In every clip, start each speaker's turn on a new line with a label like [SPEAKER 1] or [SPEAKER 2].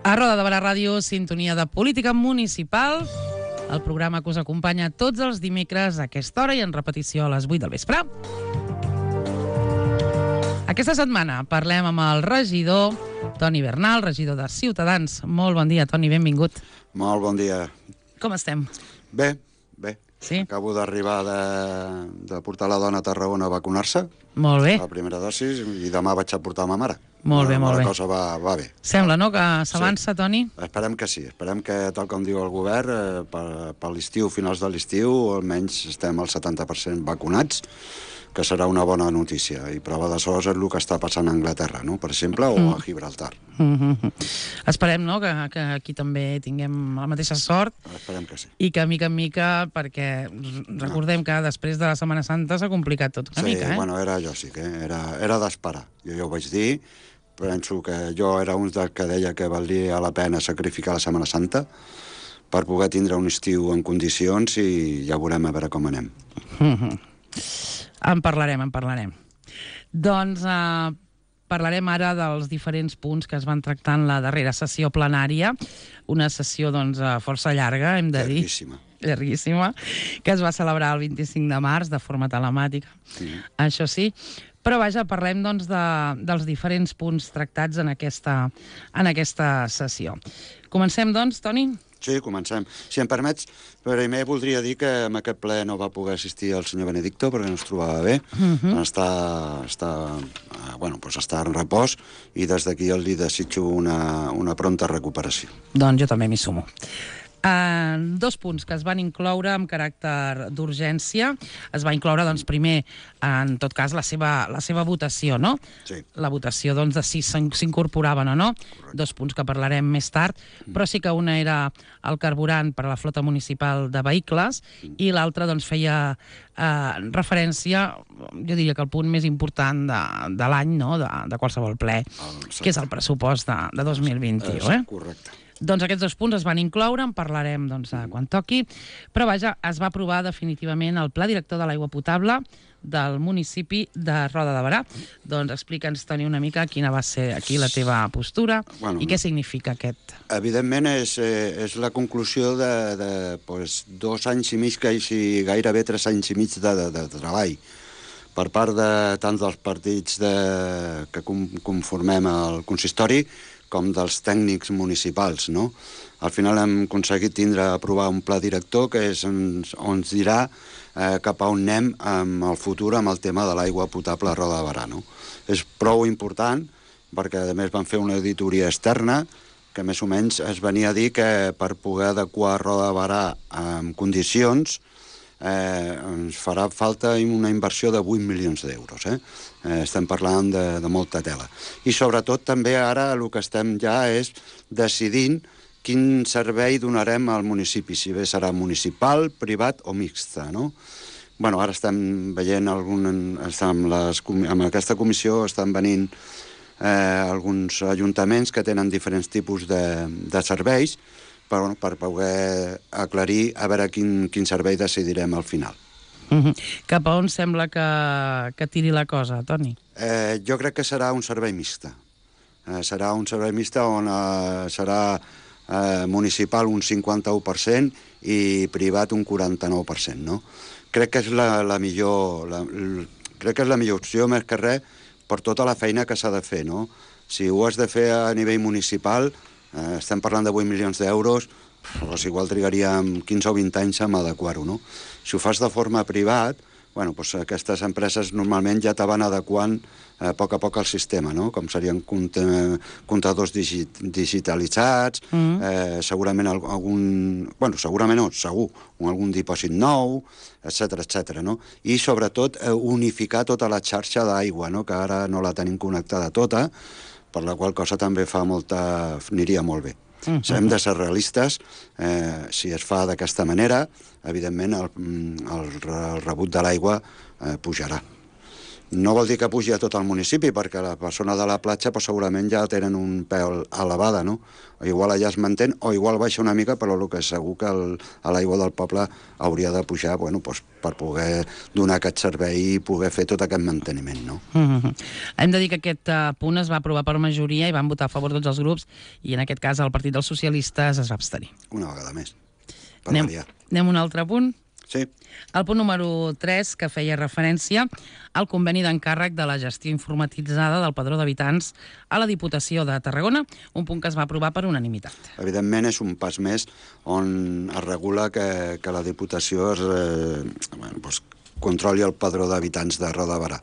[SPEAKER 1] A Roda de Barà Ràdio, sintonia de política municipal, el programa que us acompanya tots els dimecres a aquesta hora i en repetició a les 8 del vespre. Aquesta setmana parlem amb el regidor Toni Bernal, regidor de Ciutadans. Molt bon dia, Toni, benvingut.
[SPEAKER 2] Molt bon dia.
[SPEAKER 1] Com estem?
[SPEAKER 2] Bé, bé.
[SPEAKER 1] Sí?
[SPEAKER 2] Acabo d'arribar de portar la dona a Tarragona a vacunar-se.
[SPEAKER 1] Molt bé.
[SPEAKER 2] La primera dosis, i demà vaig a portar ma mare.
[SPEAKER 1] Molt bé, molt bé.
[SPEAKER 2] La cosa va bé.
[SPEAKER 1] Sembla, no?, que s'avança, sí. Toni?
[SPEAKER 2] Esperem que sí. Esperem que, tal com diu el govern, per l'estiu, finals de l'estiu, almenys estem al 70% vacunats, que serà una bona notícia. I prova de sos és el que està passant a Anglaterra, no?, per exemple, o a Gibraltar.
[SPEAKER 1] Esperem, no?, que aquí també tinguem la mateixa sort.
[SPEAKER 2] Esperem que sí.
[SPEAKER 1] I que, mica en mica, perquè recordem que després de la Setmana Santa s'ha complicat tot una mica,
[SPEAKER 2] Sí, bueno, era lògic, era d'esperar. Jo ja ho vaig dir. Penso que jo era un dels que deia que valia la pena sacrificar la Setmana Santa per poder tindre un estiu en condicions i ja veurem a veure com anem.
[SPEAKER 1] En parlarem. Doncs parlarem ara dels diferents punts que es van tractar en la darrera sessió plenària, una sessió doncs força llarga, hem de dir. Llarguíssima, que es va celebrar el 25 de març de forma telemàtica, això sí. Però vaja, parlem doncs dels diferents punts tractats en aquesta sessió. Comencem doncs, Toni?
[SPEAKER 2] Sí, comencem. Si em permets, primer voldria dir que en aquest ple no va poder assistir el senyor Benedicto perquè no es trobava bé. Està en repòs i des d'aquí li desitjo una pronta recuperació.
[SPEAKER 1] Doncs jo també m'hi sumo. Dos punts que es van incloure amb caràcter d'urgència. Es va incloure, doncs, primer, en tot cas, la seva votació, no?
[SPEAKER 2] Sí.
[SPEAKER 1] La votació, doncs, de si s'incorporaven o no. Correcte. Dos punts que parlarem més tard, però sí que una era el carburant per a la flota municipal de vehicles i l'altra, doncs, feia referència, jo diria que el punt més important de l'any, no?, de qualsevol ple, que és el pressupost de 2021,
[SPEAKER 2] Correcte.
[SPEAKER 1] Doncs aquests dos punts es van incloure, en parlarem doncs, quan toqui, però vaja, es va aprovar definitivament el Pla Director de l'Aigua Potable del municipi de Roda de Barà. Doncs explica'ns, Toni, una mica quina va ser aquí la teva postura i què significa aquest.
[SPEAKER 2] Evidentment és la conclusió de 2 anys i mig, gairebé 3 anys i mig de treball per part de tant dels partits que conformem el consistori com dels tècnics municipals, no? Al final hem aconseguit aprovar un pla director que és on ens dirà cap a on anem en el futur amb el tema de l'aigua potable a Roda de Barà, no? És prou important perquè, a més, van fer una auditoria externa que més o menys es venia a dir que per poder adequar Roda de Barà en condicions ens farà falta una inversió de 8 milions d'euros. Estem parlant de molta tela. I sobretot també ara el que estem ja és decidint quin servei donarem al municipi, si bé serà municipal, privat o mixta, no? Bueno, ara estem veient amb aquesta comissió estan venint alguns ajuntaments que tenen diferents tipus de serveis per poder aclarir a veure quin servei decidirem al final.
[SPEAKER 1] Cap a on sembla que tiri la cosa, Toni?
[SPEAKER 2] Jo crec que serà un servei mixta. Serà un servei mixta on serà municipal un 51% i privat un 49%, no? Crec que és la millor opció, més que res, per tota la feina que s'ha de fer, no? Si ho has de fer a nivell municipal, estem parlant de 8 milions d'euros, doncs igual trigaríem 15 o 20 anys en adequar-ho, no? Si ho fas de forma privat, bueno, doncs aquestes empreses normalment ja te van adequant a poc al sistema, no? Com serien comptadors digitalitzats, segurament algun dipòsit nou, etcètera, no? I sobretot unificar tota la xarxa d'aigua, no?, que ara no la tenim connectada tota, per la qual cosa també aniria molt bé. Hem de ser realistes, si es fa d'aquesta manera, evidentment el rebut de l'aigua pujarà. No vol dir que pugi a tot el municipi, perquè la persona de la platja segurament ja tenen un peu elevada, no? Igual allà es mantén, o igual baixa una mica, però el que és segur que a l'aigua del poble hauria de pujar per poder donar aquest servei i poder fer tot aquest manteniment, no?
[SPEAKER 1] Hem de dir que aquest punt es va aprovar per majoria i van votar a favor tots els grups, i en aquest cas el Partit dels Socialistes es va abstenir.
[SPEAKER 2] Una vegada més, per variar.
[SPEAKER 1] Anem a un altre punt?
[SPEAKER 2] Sí.
[SPEAKER 1] El punt número 3, que feia referència al conveni d'encàrrec de la gestió informatitzada del Padró d'Habitants a la Diputació de Tarragona, un punt que es va aprovar per unanimitat.
[SPEAKER 2] Evidentment és un pas més on es regula que la Diputació controli el Padró d'Habitants de Roda de Berà.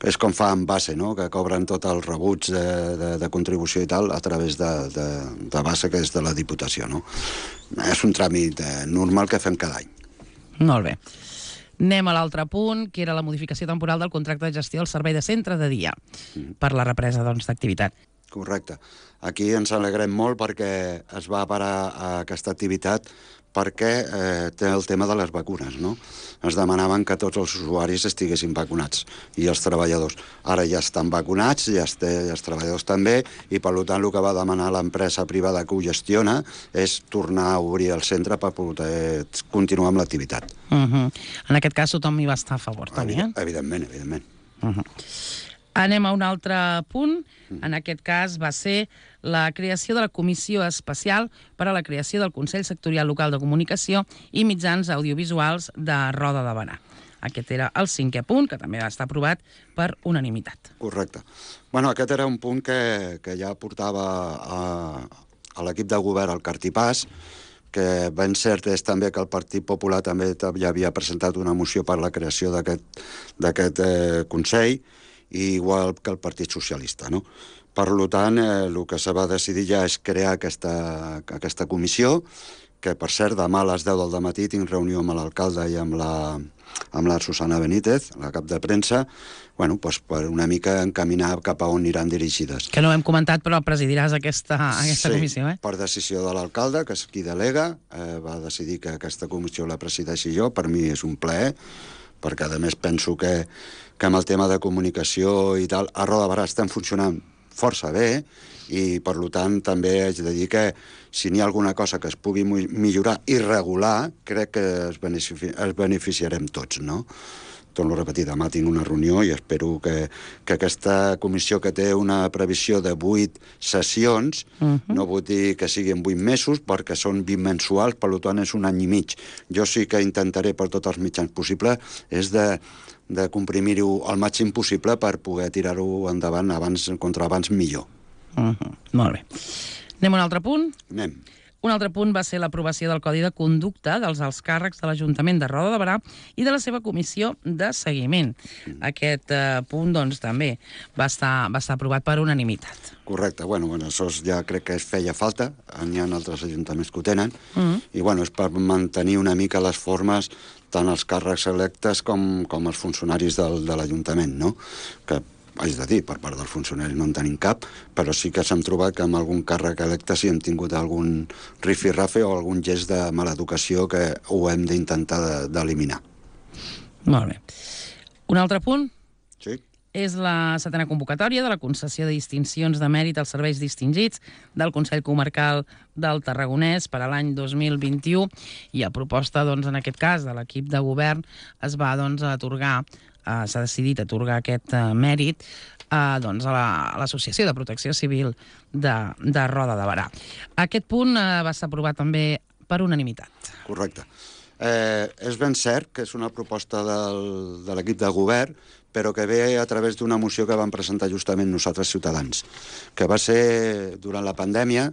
[SPEAKER 2] És com fa en base, no? Que cobren tot el rebuig de contribució i tal a través de base, que és de la Diputació, no? És un tràmit normal que fem cada any.
[SPEAKER 1] Molt bé. Anem a l'altre punt, que era la modificació temporal del contracte de gestió del servei de centre de dia per la represa d'activitat.
[SPEAKER 2] Correcte. Aquí ens alegrem molt perquè es va parar aquesta activitat perquè té el tema de les vacunes, no? Es demanaven que tots els usuaris estiguessin vacunats i els treballadors. Ara ja estan vacunats, ja els treballadors també, i per tant el que va demanar l'empresa privada que ho gestiona és tornar a obrir el centre per poder continuar amb l'activitat.
[SPEAKER 1] En aquest cas tothom hi va estar a favor, també, eh?
[SPEAKER 2] Evidentment, evidentment.
[SPEAKER 1] Anem a un altre punt. En aquest cas va ser la creació de la Comissió Especial per a la creació del Consell Sectorial Local de Comunicació i Mitjans Audiovisuals de Roda de Berà. Aquest era el 5è punt, que també va estar aprovat per unanimitat.
[SPEAKER 2] Correcte. Bueno, aquest era un punt que ja portava a l'equip de govern al cartipàs, que ben cert és també que el Partit Popular també ja havia presentat una moció per la creació d'aquest Consell, igual que el Partit Socialista, no? Per tant, el que se va decidir ja és crear aquesta comissió, que, per cert, demà a les 10 del dematí tinc reunió amb l'alcalde i amb la Susana Benítez, la cap de premsa, per una mica encaminar cap a on aniran dirigides.
[SPEAKER 1] Que no ho hem comentat, però presidiràs aquesta comissió, eh?
[SPEAKER 2] Sí, per decisió de l'alcalde, que és qui delega, va decidir que aquesta comissió la presideixi jo. Per mi és un plaer, perquè a més penso que amb el tema de comunicació i tal, a Roda de Berà estem funcionant força bé, i per tant també haig de dir que si n'hi ha alguna cosa que es pugui millorar i regular, crec que es beneficiarem tots, no? Torno a repetir, demà tinc una reunió i espero que aquesta comissió, que té una previsió de 8 sessions, no vull dir que siguin 8 mesos, perquè són 20 mensuals, per tant és un any i mig. Jo sí que intentaré per tots els mitjans possibles és de comprimir-ho al màxim possible per poder tirar-ho endavant abans millor.
[SPEAKER 1] Molt bé. Anem a un altre punt?
[SPEAKER 2] Anem.
[SPEAKER 1] Un altre punt va ser l'aprovació del Codi de Conducta dels alts càrrecs de l'Ajuntament de Roda de Berà i de la seva comissió de seguiment. Aquest punt, doncs, també va estar aprovat per unanimitat.
[SPEAKER 2] Correcte. Això ja crec que es feia falta. N'hi ha altres ajuntaments que ho tenen. I, és per mantenir una mica les formes tant els càrrecs electes com els funcionaris de l'Ajuntament, no? Que haig de dir, per part dels funcionaris no en tenim cap, però sí que s'hem trobat que amb algun càrrec electe sí hem tingut algun rifirrafe o algun gest de mala educació que ho hem d'intentar d'eliminar.
[SPEAKER 1] Molt bé. Un altre punt?
[SPEAKER 2] Sí.
[SPEAKER 1] És la 7a convocatòria de la concessió de distincions de mèrit als serveis distingits del Consell Comarcal del Tarragonès per a l'any 2021, i a proposta, en aquest cas, de l'equip de govern, es va atorgar, s'ha decidit atorgar aquest mèrit a l'Associació de Protecció Civil de Roda de Berà. Aquest punt va ser aprovat també per unanimitat.
[SPEAKER 2] Correcte. És ben cert que és una proposta de l'equip de govern, però que ve a través d'una moció que vam presentar justament nosaltres, Ciutadans, que va ser durant la pandèmia.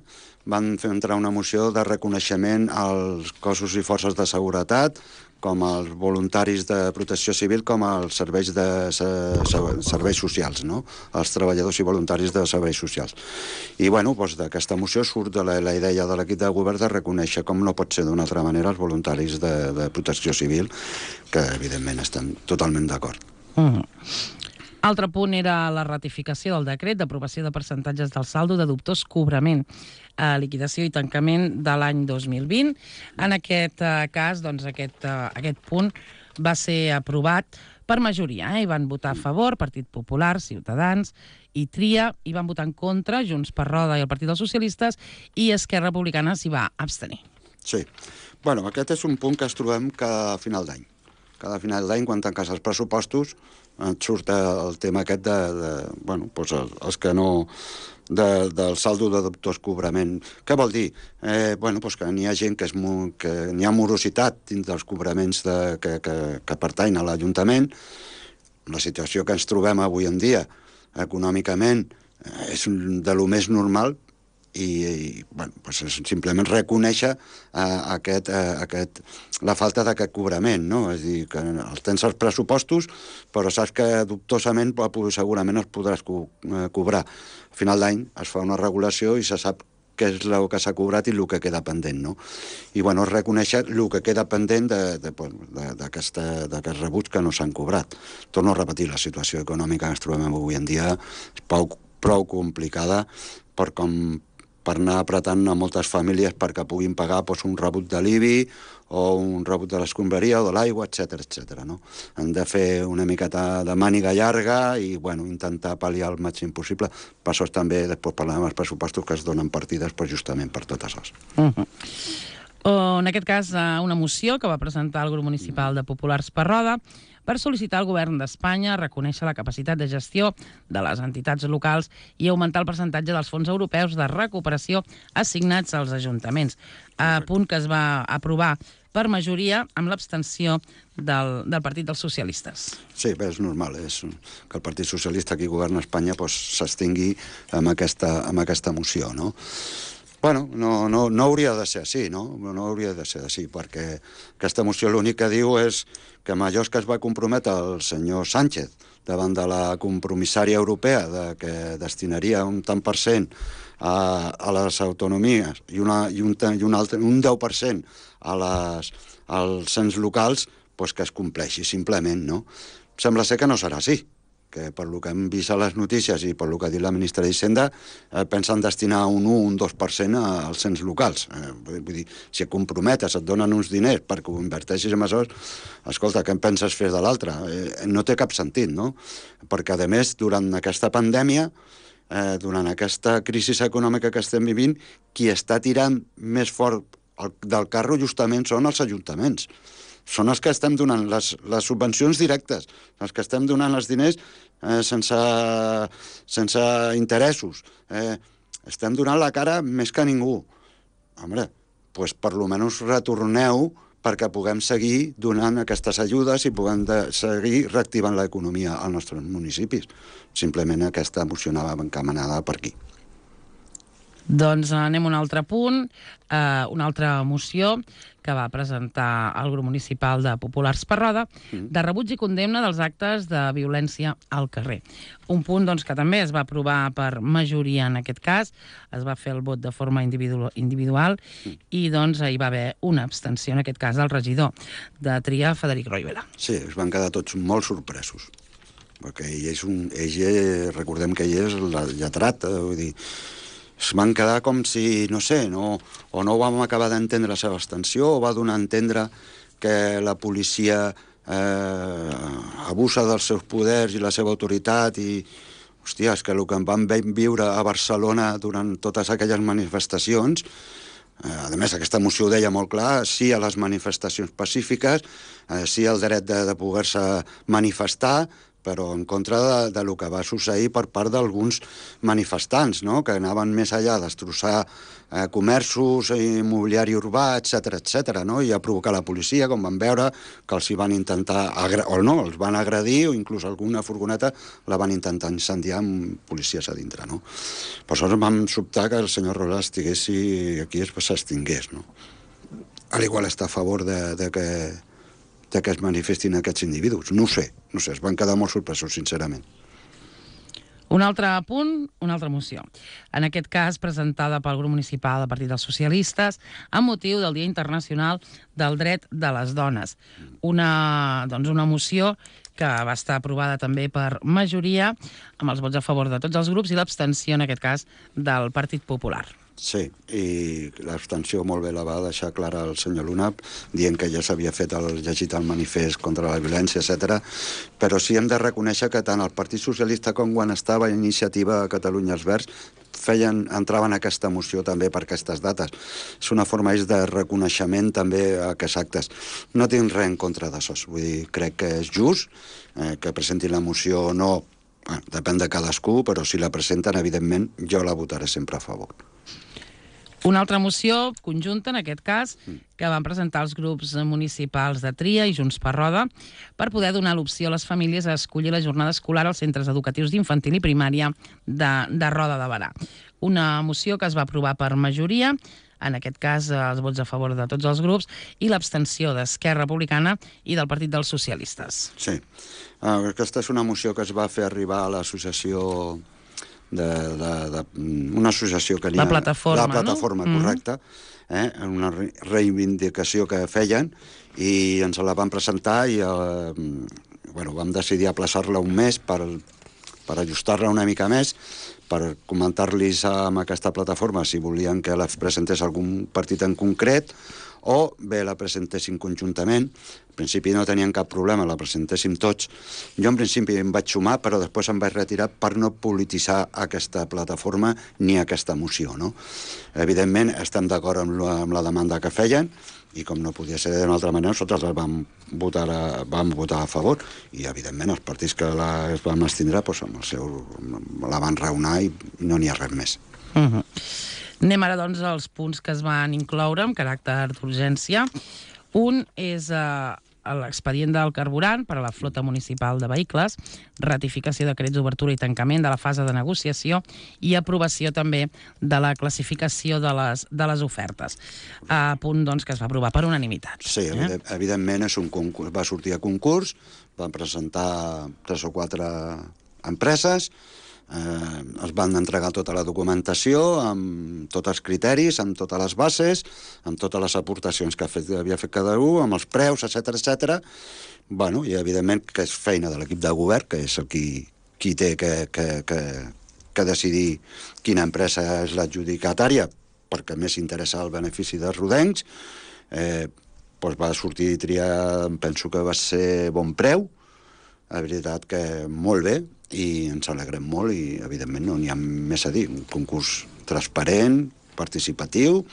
[SPEAKER 2] Van fer entrar una moció de reconeixement als cossos i forces de seguretat, com els voluntaris de protecció civil, com els serveis socials, no? Els treballadors i voluntaris de serveis socials. I, d'aquesta moció surt la idea de l'equip de govern de reconèixer, com no pot ser d'una altra manera, els voluntaris de protecció civil, que, evidentment, estem totalment d'acord.
[SPEAKER 1] Altre punt era la ratificació del decret d'aprovació de percentatges del saldo de dubtós cobrament, liquidació i tancament de l'any 2020. En aquest cas, aquest punt va ser aprovat per majoria. Hi van votar a favor Partit Popular, Ciutadans i Tria, hi van votar en contra Junts per Roda i el Partit dels Socialistes, i Esquerra Republicana s'hi va abstenir.
[SPEAKER 2] Sí. Bueno, aquest és un punt que ens trobem cada final d'any. Cada final d'any, quan tanques els pressupostos, et surt el tema aquest els que no... del saldo de dubtós cobrament. Què vol dir? Que n'hi ha gent que n'hi ha morositat dins dels cobraments que pertanyen a l'Ajuntament. La situació que ens trobem avui en dia, econòmicament, és de lo més normal, i és simplement reconèixer la falta d'aquest cobrament, no? És a dir, que tens els pressupostos, però saps que dubtosament segurament els podràs cobrar. A final d'any es fa una regulació i se sap què és el que s'ha cobrat i el que queda pendent, no? I, és reconèixer el que queda pendent d'aquests rebuts que no s'han cobrat. Torno a repetir, la situació econòmica que ens trobem avui en dia és prou complicada per anar apretant a moltes famílies perquè puguin pagar un rebut de l'IBI o un rebut de l'escombraria o de l'aigua, etc. No? Han de fer una miqueta de màniga llarga i intentar pal·liar el màxim possible. Per això també després parlem dels pressupostos que es donen partides justament per tot això.
[SPEAKER 1] En aquest cas, una moció que va presentar el grup municipal de Populars per Roda per sol·licitar al govern d'Espanya reconèixer la capacitat de gestió de les entitats locals i augmentar el percentatge dels fons europeus de recuperació assignats als ajuntaments. Punt que es va aprovar per majoria amb l'abstenció del Partit dels Socialistes.
[SPEAKER 2] Sí, és normal, és que el Partit Socialista aquí governa Espanya s'abstingui amb aquesta moció, no? No hauria de ser així, no? No hauria de ser així, perquè aquesta moció l'únic que diu és que amb allò que es va comprometre el senyor Sánchez davant de la compromissària europea que destinaria un tant per cent a les autonomies i un 10% als ens locals, que es compleixi simplement, no? Sembla ser que no serà així, que per lo que hem vist a les notícies i per lo que ha dit la ministra d'Hisenda, pensen destinar un 1 o un 2% als ens locals. Vull dir, si et comprometes, et donen uns diners perquè ho inverteixis en això, escolta, què en penses fer de l'altre? No té cap sentit, no? Perquè, a més, durant aquesta pandèmia, durant aquesta crisi econòmica que estem vivint, qui està tirant més fort del carro justament són els ajuntaments. Són els que estem donant les subvencions directes, els que estem donant els diners sense interessos. Estem donant la cara més que ningú. Home, doncs per almenys retorneu perquè puguem seguir donant aquestes ajudes i puguem seguir reactivant l'economia als nostres municipis. Simplement aquesta moció anava encaminada per aquí.
[SPEAKER 1] Doncs anem a un altre punt, una altra moció que va presentar el grup municipal de Populars per Roda, de rebuig i condemna dels actes de violència al carrer. Un punt que també es va aprovar per majoria en aquest cas, es va fer el vot de forma individual i hi va haver una abstenció, en aquest cas del regidor de Tria, Frederic Roivela.
[SPEAKER 2] Sí, es van quedar tots molt sorpresos, perquè recordem que ell és el lletrat, vull dir, es van quedar com si, no sé, o no vam acabar d'entendre la seva abstenció, o va donar a entendre que la policia abusa dels seus poders i la seva autoritat i, hòstia, és que el que vam viure a Barcelona durant totes aquelles manifestacions, a més, aquesta moció ho deia molt clar, sí a les manifestacions pacífiques, sí al dret de poder-se manifestar, però en contra del que va succeir per part d'alguns manifestants, no? Que anaven més allà a destrossar comerços, immobiliari urbà, etc., no? I a provocar la policia, com van veure, que els hi van intentar, els van agredir, o inclús alguna furgoneta la van intentar incendiar amb policies a dintre, no? Per això vam sobtar que el senyor Rola estigués aquí i s'extingués, no? Al igual està a favor de que es manifestin aquests individus. No ho sé, es van quedar molt sorpresos, sincerament.
[SPEAKER 1] Un altre punt, una altra moció. En aquest cas, presentada pel grup municipal del Partit dels Socialistes amb motiu del Dia Internacional del Dret de les Dones. Una moció que va estar aprovada també per majoria, amb els vots a favor de tots els grups i l'abstenció, en aquest cas, del Partit Popular.
[SPEAKER 2] Sí, i l'abstenció molt bé la va deixar clara el senyor Luna, dient que ja s'havia llegit el manifest contra la violència, etc. Però sí hem de reconèixer que tant el Partit Socialista com quan estava Iniciativa a Catalunya els Verds entraven a aquesta moció també per aquestes dates. És una forma de reconeixement també a aquests actes. No tinc res en contra d'això, vull dir, crec que és just que presentin la moció o no, depèn de cadascú, però si la presenten, evidentment, jo la votaré sempre a favor.
[SPEAKER 1] Una altra moció conjunta, en aquest cas, que van presentar els grups municipals de Tria i Junts per Roda per poder donar l'opció a les famílies a escollir la jornada escolar als centres educatius d'infantil i primària de Roda de Berà. Una moció que es va aprovar per majoria, en aquest cas els vots a favor de tots els grups, i l'abstenció d'Esquerra Republicana i del Partit dels Socialistes.
[SPEAKER 2] Sí. Aquesta és una moció que es va fer arribar a l'associació una associació que n'hi ha...
[SPEAKER 1] La plataforma,
[SPEAKER 2] no? Correcte. Una reivindicació que feien i ens la van presentar i vam decidir aplaçar-la un mes per ajustar-la una mica més, per comentar-los amb aquesta plataforma si volien que la presentés algun partit en concret o bé la presentessin conjuntament. En principi no tenien cap problema, la presentéssim tots. Jo en principi em vaig sumar, però després em vaig retirar per no polititzar aquesta plataforma ni aquesta moció, no? Evidentment, estem d'acord amb la demanda que feien i com no podia ser d'una altra manera, nosaltres vam votar a favor i, evidentment, els partits que es van abstindre la van raonar i no n'hi ha res més.
[SPEAKER 1] Anem ara, doncs, als punts que es van incloure amb caràcter d'urgència. Un és l'expedient del carburant per a la flota municipal de vehicles, ratificació de decrets d'obertura i tancament de la fase de negociació i aprovació també de la classificació de les ofertes. Punt, doncs, que es va aprovar per unanimitat.
[SPEAKER 2] Sí, evidentment va sortir a concurs, van presentar 3 o 4 empreses, es van entregar tota la documentació amb tots els criteris, amb totes les bases, amb totes les aportacions que havia fet cada un, amb els preus, etc. Bueno, i evidentment que és feina de l'equip de govern, que és el qui té que decidir quina empresa és l'adjudicatària, perquè més interessa el benefici dels rodencs. Va sortir i triar, penso que va ser bon preu, la veritat que molt bé, i ens alegrem molt i, evidentment, no n'hi ha més a dir. Un concurs transparent, participatiu,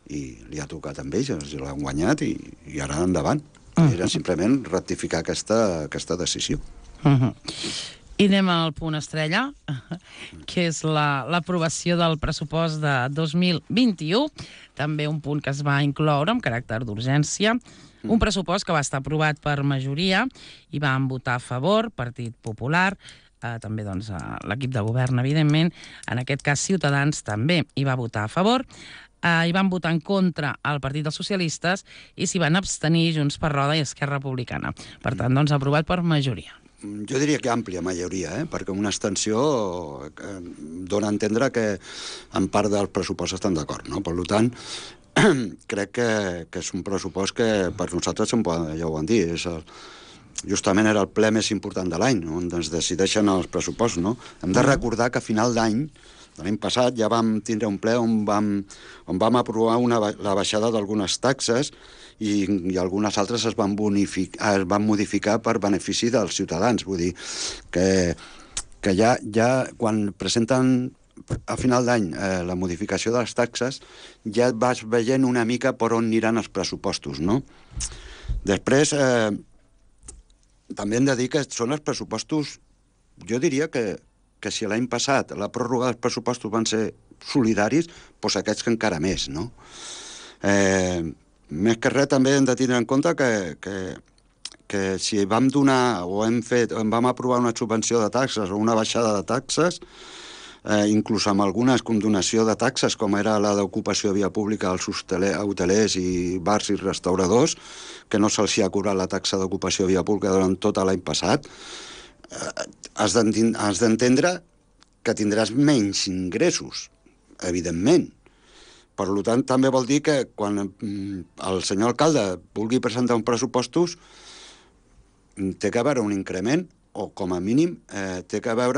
[SPEAKER 2] i li ha tocat amb ells, els l'han guanyat i ara endavant. Era simplement ratificar aquesta decisió.
[SPEAKER 1] I anem al punt estrella, que és l'aprovació del pressupost de 2021, també un punt que es va incloure amb caràcter d'urgència. Un pressupost que va estar aprovat per majoria i van votar a favor Partit Popular, també l'equip de govern, evidentment, en aquest cas Ciutadans també hi va votar a favor, hi van votar en contra el Partit dels Socialistes i s'hi van abstenir Junts per Roda i Esquerra Republicana. Per tant, aprovat per majoria.
[SPEAKER 2] Jo diria que àmplia majoria, perquè una abstenció dona a entendre que en part del pressupost estan d'acord, no? Per tant, crec que és un pressupost que per nosaltres, ja ho van dir, justament era el ple més important de l'any, on es decideixen els pressupostos, no? Hem de recordar que a final d'any, de l'any passat, ja vam tindre un ple on vam aprovar la baixada d'algunes taxes i algunes altres es van modificar per benefici dels ciutadans. Vull dir que ja quan presenten a final d'any la modificació de les taxes ja vas veient una mica per on aniran els pressupostos, no? Després, també hem de dir que són els pressupostos, jo diria que si l'any passat la pròrroga dels pressupostos van ser solidaris, doncs aquests que encara més, no? Més que res també hem de tenir en compte que si vam donar o vam aprovar una subvenció de taxes o una baixada de taxes, inclús amb alguna condonació de taxes, com era la d'ocupació de via pública als hotelers i bars i restauradors, que no se'ls ha cobrat la taxa d'ocupació de via pública durant tot l'any passat, has d'entendre que tindràs menys ingressos, evidentment. Per tant, també vol dir que quan el senyor alcalde vulgui presentar uns pressupostos, té que haver un increment, o com a mínim té que haver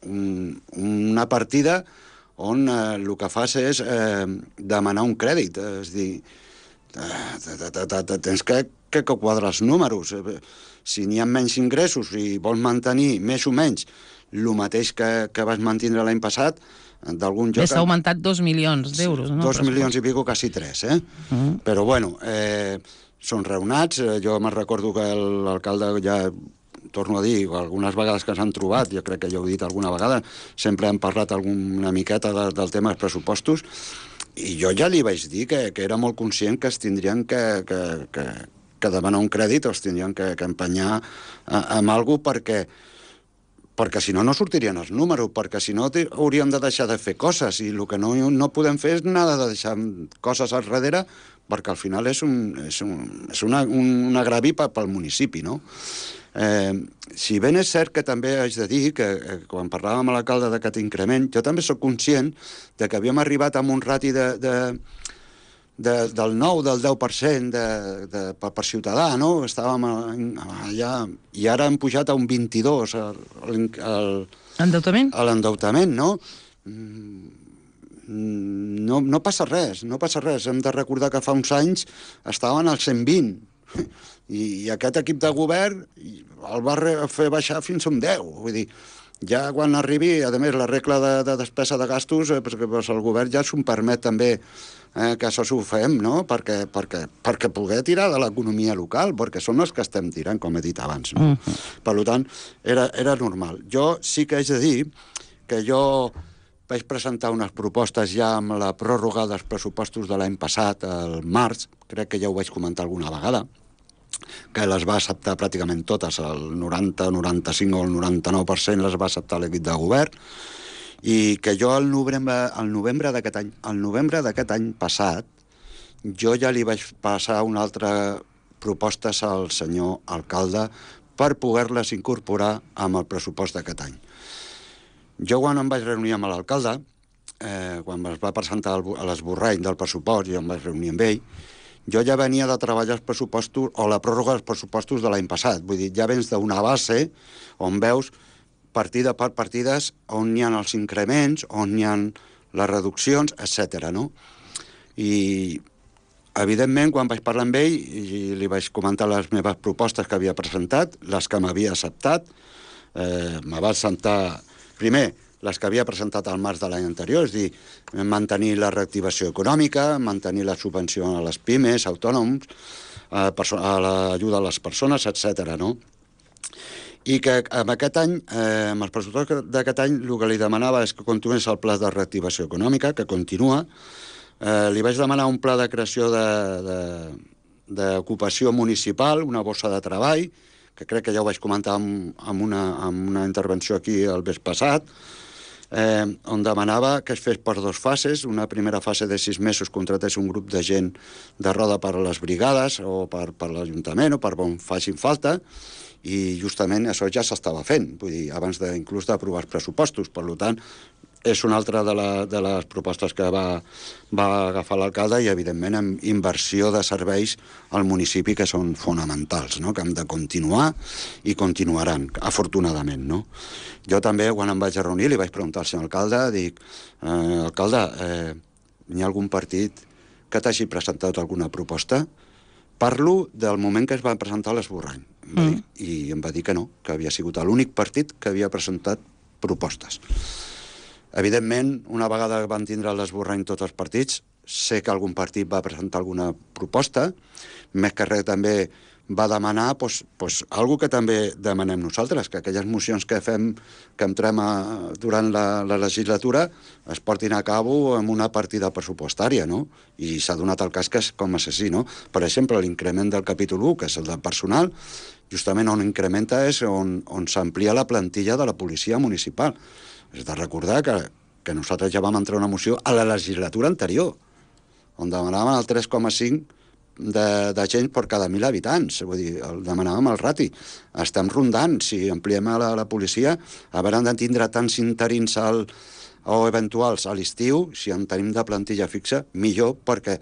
[SPEAKER 2] una partida on el que fas és demanar un crèdit, és a dir, tens que quadrar els números. Si n'hi ha menys ingressos i vols mantenir més o menys el mateix que vas mantenir l'any passat, d'algun lloc...
[SPEAKER 1] S'ha augmentat 2 milions d'euros, no?
[SPEAKER 2] 2 milions i pico, quasi 3, Però, bueno, són raonats. Jo me'n recordo que l'alcalde ja, torno a dir, algunes vegades que s'han trobat, jo crec que ja ho he dit alguna vegada, sempre hem parlat una miqueta del tema dels pressupostos, i jo ja li vaig dir que era molt conscient que es tindrien que demanar un crèdit, o es tindrien que empenyar amb alguna cosa, perquè si no, no sortirien els números, perquè si no hauríem de deixar de fer coses, i el que no podem fer és nada de deixar coses al darrere, perquè al final és un agravi pel municipi, no? Si ben és cert que també haig de dir que quan parlàvem amb l'alcalde d'aquest increment, jo també sóc conscient de que havíem arribat a un rati del 9, del 10% per ciutadà, no? Estàvem allà, i ara hem pujat a un 22
[SPEAKER 1] Endeutament?
[SPEAKER 2] A l'endeutament, no? No passa res, no passa res. Hem de recordar que fa uns anys estaven al 120, i aquest equip de govern el va fer baixar fins a un 10. Vull dir, ja quan arribi, a més, la regla de despesa de gastos, el govern ja s'ho permet també que això s'ho fem, no? Perquè poder tirar de l'economia local, perquè són els que estem tirant, com he dit abans, no? Per tant, era normal. Jo sí que haig de dir que jo vaig presentar unes propostes ja amb la pròrroga dels pressupostos de l'any passat, al març, crec que ja ho vaig comentar alguna vegada, que les va acceptar pràcticament totes, el 90, 95 o el 99% les va acceptar l'equip de govern, i que jo al novembre d'aquest any passat, jo ja li vaig passar una altra propostes al senyor alcalde per poder-les incorporar amb el pressupost d'aquest any. Jo quan em vaig reunir amb l'alcalde, quan es va presentar l'esborrany del pressupost, jo em vaig reunir amb ell, jo ja venia de treballar els pressupostos, o la pròrroga dels pressupostos de l'any passat. Vull dir, ja vens d'una base on veus partida per partides on hi ha els increments, on hi ha les reduccions, etc. no? I, evidentment, quan vaig parlar amb ell, i li vaig comentar les meves propostes que havia presentat, les que m'havia acceptat, me va acceptar, primer, les que havia presentat al març de l'any anterior, és a dir, mantenir la reactivació econòmica, mantenir la subvenció a les pimes, autònoms, a l'ajuda a les persones, etc. no? I que amb aquest any, amb els pressupostos d'aquest any, el que li demanava és que continués el pla de reactivació econòmica, que continua. Li vaig demanar un pla de creació d'ocupació municipal, una bossa de treball, que crec que ja ho vaig comentar en una intervenció aquí el mes passat, on demanava que es fes per 2 fases. Una primera fase de 6 mesos contratés un grup de gent de roda per a les brigades o per l'Ajuntament o per on facin falta, i justament això ja s'estava fent, vull dir, abans inclús d'aprovar els pressupostos. Per tant, és una altra de les propostes que va agafar l'alcalde, i evidentment amb inversió de serveis al municipi que són fonamentals, no? Que hem de continuar i continuaran, afortunadament, no? Jo també, quan em vaig reunir, li vaig preguntar al senyor alcalde, dic, alcalde, hi ha algun partit que t'hagi presentat alguna proposta? Parlo del moment que es va presentar l'esborrany, i em va dir que no, que havia sigut l'únic partit que havia presentat propostes. Evidentment, una vegada van tindre l'esborrany tots els partits, sé que algun partit va presentar alguna proposta, més que res també va demanar alguna que també demanem nosaltres, que aquelles mocions que fem, que entrem durant la legislatura, es portin a cabo amb una partida pressupostària, no? I s'ha donat el cas que és com assassí, no? Per exemple, l'increment del capítol 1, que és el del personal, justament on incrementa és on s'amplia la plantilla de la policia municipal. És de recordar que nosaltres ja vam entrar una moció a la legislatura anterior, on demanàvem el 3,5 de gent per cada 1.000 habitants. Vull dir, demanàvem el rati. Estem rondant, si ampliem a la policia, a veure, hem de tindre tants interins o eventuals a l'estiu, si en tenim de plantilla fixa, millor, perquè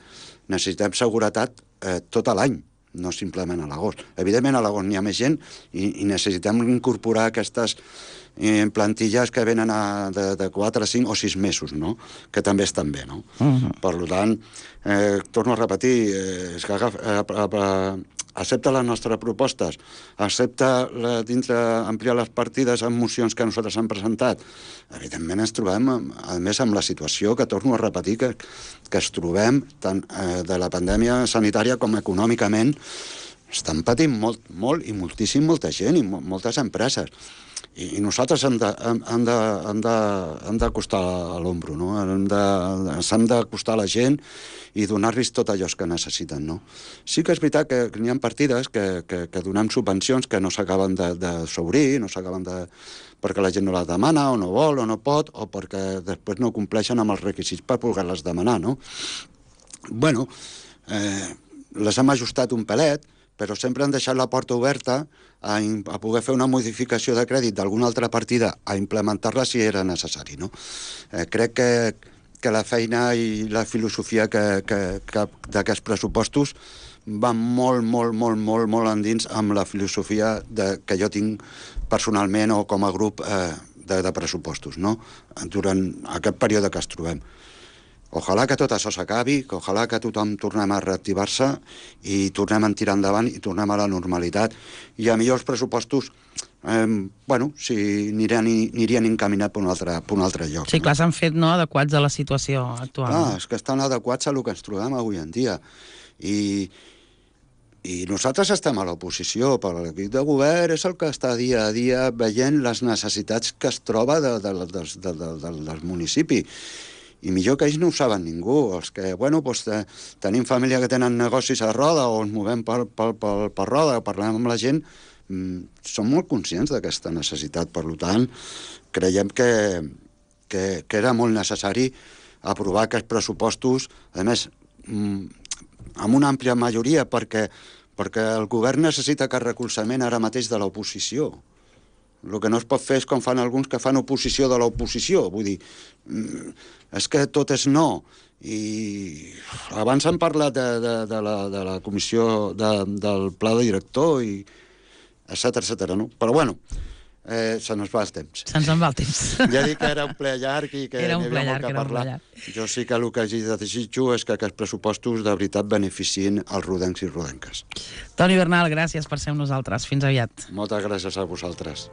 [SPEAKER 2] necessitem seguretat tot l'any. no simplement a l'agost. Evidentment, a l'agost n'hi ha més gent i necessitem incorporar aquestes plantilles que venen de 4, 5 o 6 mesos, no? Que també estan bé, no? Per tant, torno a repetir, és que accepta les nostres propostes, accepta dintre ampliar les partides amb mocions que nosaltres hem presentat. Evidentment ens trobem, a més, amb la situació que torno a repetir, que es trobem tant de la pandèmia sanitària com econòmicament. Estan patint molt i moltíssim molta gent i moltes empreses. I nosaltres hem d'acostar a l'ombro, no? S'hem d'acostar a la gent i donar-los tot allò que necessiten, no? Sí que és veritat que n'hi ha partides que donem subvencions que no s'acaben de s'obrir, no s'acaben de... perquè la gent no les demana, o no vol, o no pot, o perquè després no compleixen amb els requisits per poder-les demanar, no? Bueno, les hem ajustat un pelet, però sempre han deixat la porta oberta a poder fer una modificació de crèdit d'alguna altra partida, a implementar-la si era necessari, no? Crec que la feina i la filosofia d'aquests pressupostos va molt endins amb la filosofia que jo tinc personalment o com a grup de pressupostos, no? Durant aquest període que es trobem. Ojalà que tot això s'acabi, que ojalà que tothom tornem a reactivar-se i tornem a tirar endavant i tornem a la normalitat. I a millor els pressupostos, sí, anirien encaminats per un altre lloc.
[SPEAKER 1] Sí, clar, s'han fet, no?, adequats a la situació actual.
[SPEAKER 2] Clar, és que estan adequats a el que ens trobem avui en dia. I nosaltres estem a l'oposició, però l'equip de govern és el que està dia a dia veient les necessitats que es troba del municipi. I millor que ells no ho saben ningú. Els que, tenim família que tenen negocis a Roda o ens movem per Roda o parlem amb la gent, som molt conscients d'aquesta necessitat. Per tant, creiem que era molt necessari aprovar aquests pressupostos, a més, amb una àmplia majoria, perquè el govern necessita aquest recolzament ara mateix de l'oposició. El que no es pot fer és com fan alguns que fan oposició de l'oposició. Vull dir, és que tot és no. I abans han parlat de la comissió del pla de director, i etcètera, no? Però se nos va el temps.
[SPEAKER 1] Se'ns en va el temps.
[SPEAKER 2] Ja dic que era un ple llarg i que n'hi havia molt que parlar. Jo sí que el que desitjo és que aquests pressupostos de veritat beneficien els rodencs i rodenques.
[SPEAKER 1] Toni Bernal, gràcies per ser amb nosaltres. Fins aviat.
[SPEAKER 2] Moltes gràcies a vosaltres.